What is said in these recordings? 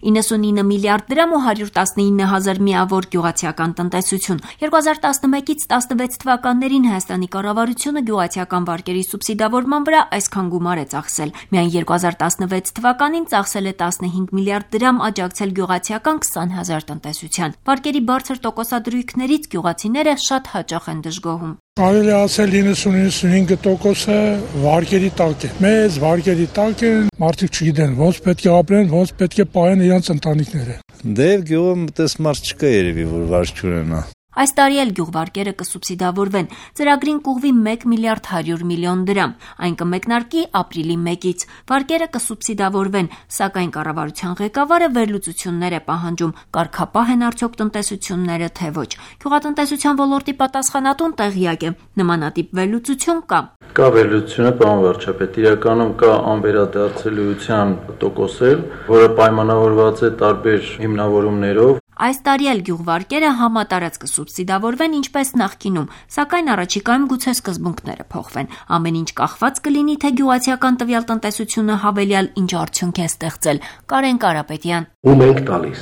99 միլիարդ դրամ ու 119 հազար միավոր գյուղացիական տնտեսություն։ 2011-ից 16 թվականներին Հայաստանի կառավարությունը գյուղացիական վարկերի սուբսիդավորման վրա այսքան գումար է ծախսել։ Միայն 2016 թվականին ծախսել է 15 միլիարդ դրամ, աջակցել գյուղացիական 20 հազար տնտեսության։ Վարկերի բարձր տոկոսադրույքներից գյուղացիները շատ հաճախ են դժգոհում։ Կարելի է ասել 90-95%-ը վարկերի տակ է։ Մեծ վարկերի տակ են, մարդիկ չգիտեն ոնց պետք է ապրեն, ոնց պետք է պահեն իրենց ընտանիքները։ Դե գյուղում այդպես մարդ չկա երևի, որ վարկ չունենա։ Այս տարի էլ գյուղվարկերը կսուբսիդավորվեն։ Ծրագրին կուղղվի 1 միլիարդ 100 միլիոն դրամ։ Այն կմեկնարկի ապրիլի 1-ից։ Վարկերը կսուբսիդավորվեն, սակայն կառավարության ղեկավարը վերլուծություններ է պահանջում, կարգապահ են արդյոք տնտեսությունները, թե ոչ։ Գյուղատնտեսության ոլորտի պատասխանատուն տեղյակ է, նմանատիպ վերլուծություն կա։ Կա վերլուծությունը, պարոն վարչապետ, իրականում կա անվերադարձելիության տոկոսել, որը պայմանավորված է տարբեր հիմնավորումներով։ Այս տարի էլ գյուղվարկերը համատարած կսուբսիդավորվեն ինչպես նախկինում, սակայն առաջիկայում գուցե սկզբունքները փոխվեն։ Ամեն ինչ կախված կլինի, թե գյուղացիական տվյալ տնտեսությունը հավելյալ ինչ արդյունք է ստեղծել։ Կարեն Կարապետյան։ Ում ենք տալիս,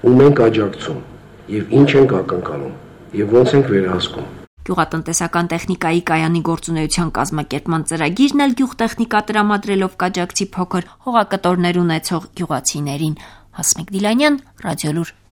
ում ենք աջակցում, եւ ինչ ենք ակնկալում, եւ ոնց ենք վերահսկում։ Գյուղատնտեսական տեխնիկայի կայանի գործունեության կազմակերպման ծրագիրն էլ գյուղտեխնիկա տրամադրելով կաջակցի փոքր հողակտորներ ունեցող գյուղացիներին։ Հասմիկ Դիլանյան, Ռադիոլուր։